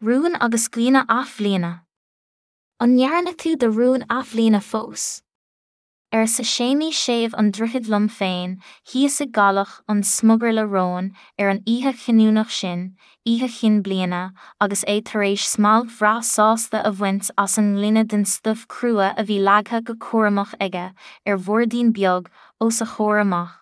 Rúin agus Guíonna Athbhliana. An ndearna tú do rún athbhliana fós? Arsa Séimí Séimh an Droichid liom féin, thíos i gCaladh an Smugairle Róin ar an oíche chinniúnach sin, Oíche Chinn Bliana, agus é tar éis smailc bhreá sásta a bhaint as an ngloine den stuif crua a bhí leagtha go cúramach aige ar bhoirdín beag os a chomhair amach.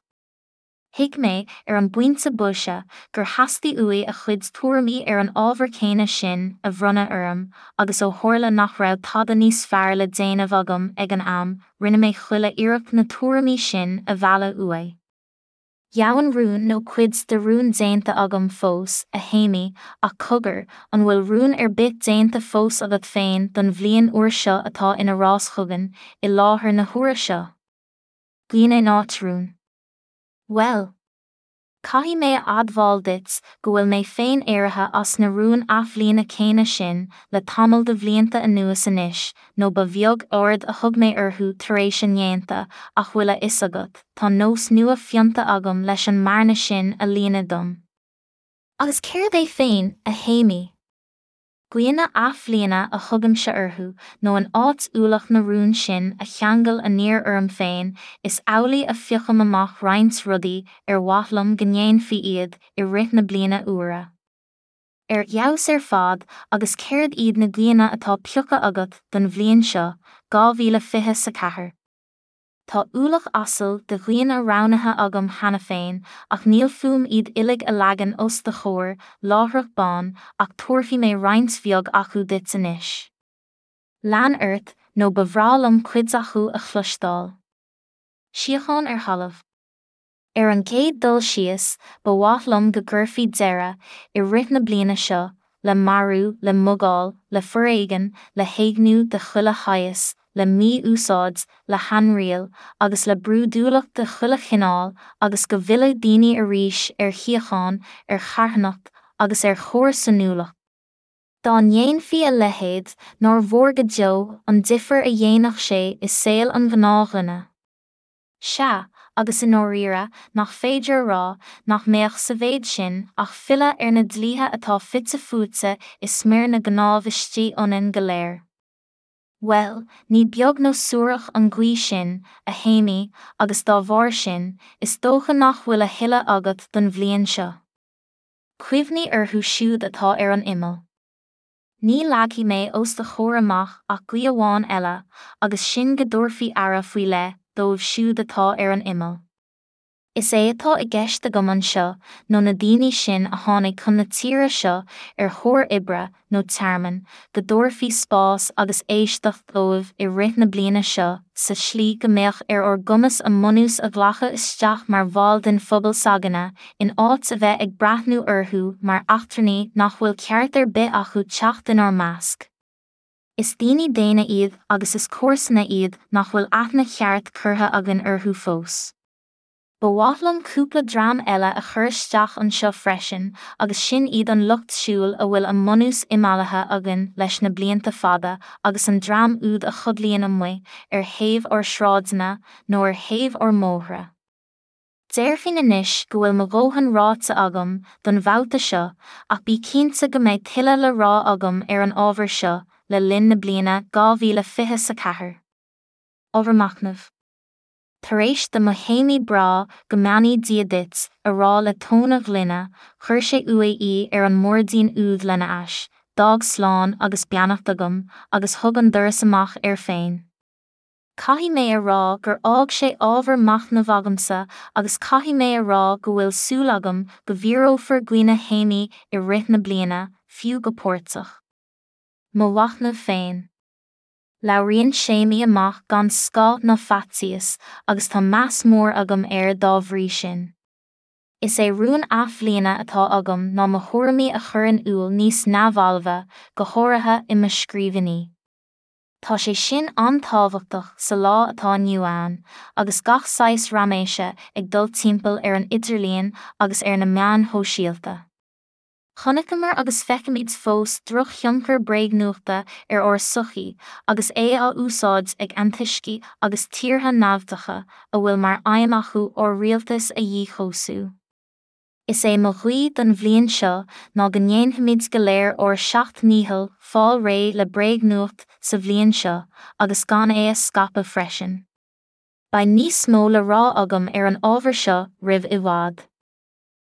Thuig mé, ar an bpointe boise, gur theastaigh uaidh a chuid tuairimí ar an ábhar céanna sin a bhronnadh orm, agus ó tharla nach raibh tada níos fearr le déanamh agam ag an am, rinne mé chuile iarracht na tuairimí sin a mhealladh uaidh. Dheamhan rún nó cuid de rún déanta agam fós, a Shéimí, ach cogar, an bhfuil rún ar bith déanta fós agat féin don bhliain úr seo atá ina rás chugainn, i láthair na huaire seo? Guíonna in áit rún. Bhuel. Caithfidh mé a admháil duit go bhfuil mé féin éirithe as na rúin athbhliana céanna sin le tamall de bhlianta anuas anois nó ba bheag aird a thug mé orthu tar éis a ndéanta ach bhfuil a fhios agat, tá nós nua fionta agam leis an mbearna sin a líonadh dom. Agus céard é féin, a Shéimí? Guíonna athbhliana a thugaimse orthu, nó in áit ualach na rún sin a cheangal aniar orm féin, is amhlaidh a phiocaim amach roinnt rudaí ar mhaith liom go ndéanfaí iad i rith na bliana úire. Ar fheabhas ar fad, agus céard iad na guíonna atá pioctha agat don bhliain seo, 2024? Tá ualach asail de ghuíonna roghnaithe agam cheana féin, ach níl fúm iad uilig a leagan os do chomhair láithreach bonn, ach tabharfaidh mé roinnt bheag acu duit anois. Lean ort, nó ba bhreá liom cuid acu a chloisteáil. Síocháin ar thalamh. Ar an gcéad dul síos, ba mhaith liom go gcuirfí deireadh, i rith na bliana seo, le marú, le mugáil, le foréigean, le héigniú de chuile shaghas, le mí-úsáid, le hainriail, agus le brúidiúlacht de chuile chineál, agus go bhfillfeadh daoine arís ar shíocháin, ar charthanacht, agus ar chomharsanúlacht. Dá ndéanfaí a leithéid, nár mhór go deo an difear a dhéanfadh sé i saol an ghnáthdhuine. Sea, agus i ndáiríre, nach féidir a rá nach mbeadh sa mhéid sin ach filleadh ar na dlíthe atá fite fuaite i smior na gcnámh istigh ionainn go léir. Bhuel, ní beag nó suarach an ghuí sin, a Shéimí, agus dá bharr sin, is dócha nach bhfuil a thuilleadh agat don bhliain seo. Cuimhnigh orthu siúd atá ar an imeall. Ní leagfaidh mé os do chomhair amach ach guí amháin eile, agus sin go dtabharfaí aire faoi leith dóibh siúd atá ar an imeall. Is é atá i gceist agam anseo nó na daoine sin a tháinig chun na tíre seo ar thóir oibre nó tearmainn, go dtabharfaí spás agus éisteacht dóibh i rith na bliana seo sa tslí go mbeadh ar ár gcumas a mbunús a ghlacadh isteach mar bhaill den phobal s'againne in áit a bheith ag breathnú orthu mar eachtrannaigh nach bhfuil ceart ar bith acu teacht inár measc. Is daoine daonna iad agus is comharsana iad nach bhfuil aithne cheart curtha againn orthu fós. Ba mhaith liom cúpla dream eile a chur isteach anseo freisin agus sin iad an lucht siúil a bhfuil a mbunús imeallaithe againn leis na blianta fada agus an dream úd a chodlaíonn amuigh ar thaobh ár sráideanna nó ar thaobh ár mbóithre. Déarfainn anois go bhfuil mo dhóthain ráite agam don bhabhta seo ach bí cinnte go mbeidh tuilleadh le rá agam ar an ábhar seo le linn na bliana 2024. Ábhar machnaimh. Tar éis do mo Shéimí breá 'Go mbeannaí Dia duit' a rá le tóin a ghloine, chuir sé uaidh í ar an mboirdín úd lena ais, d'fhág slán agus beannacht agam, agus thug an doras amach air féin. Caithfidh mé a rá gur fhág sé ábhar machnaimh agamsa agus caithfidh mé a rá go bhfuil súil agam go bhfíorófar guíonna Shéimí i rith na bliana, fiú go páirteach. Mo mhachnamh féin. Labhraíonn Séimí amach gan scáth ná faitíos agus tá meas mór agam air dá bhrí sin. Is é rún athbhliana atá agam ná mo thuairimí a chur in iúl níos neamhbhalbha, go háirithe i mo scríbhinní. Tá sé sin an-tábhachtach sa lá atá inniu ann, agus gach saghas raiméise ag dul timpeall ar an idirlíon agus ar na meáin shóisialta. Chonaiceamar agus feicimid fós drochthionchar bréagnuachta ar ár sochaí agus é á úsáid ag antoiscigh agus tíortha naimhdeacha a bhfuil mar aidhm acu ár rialtas a dhíchobhsú. Is é mo ghuí don bhliain seo ná go ndéanfaimid go léir ár seacht ndícheall fáil réidh le bréagnuacht sa bhliain seo agus gan é a scaipeadh freisin. Beidh níos mó le rá agam ar an ábhar seo roimh i bhfad.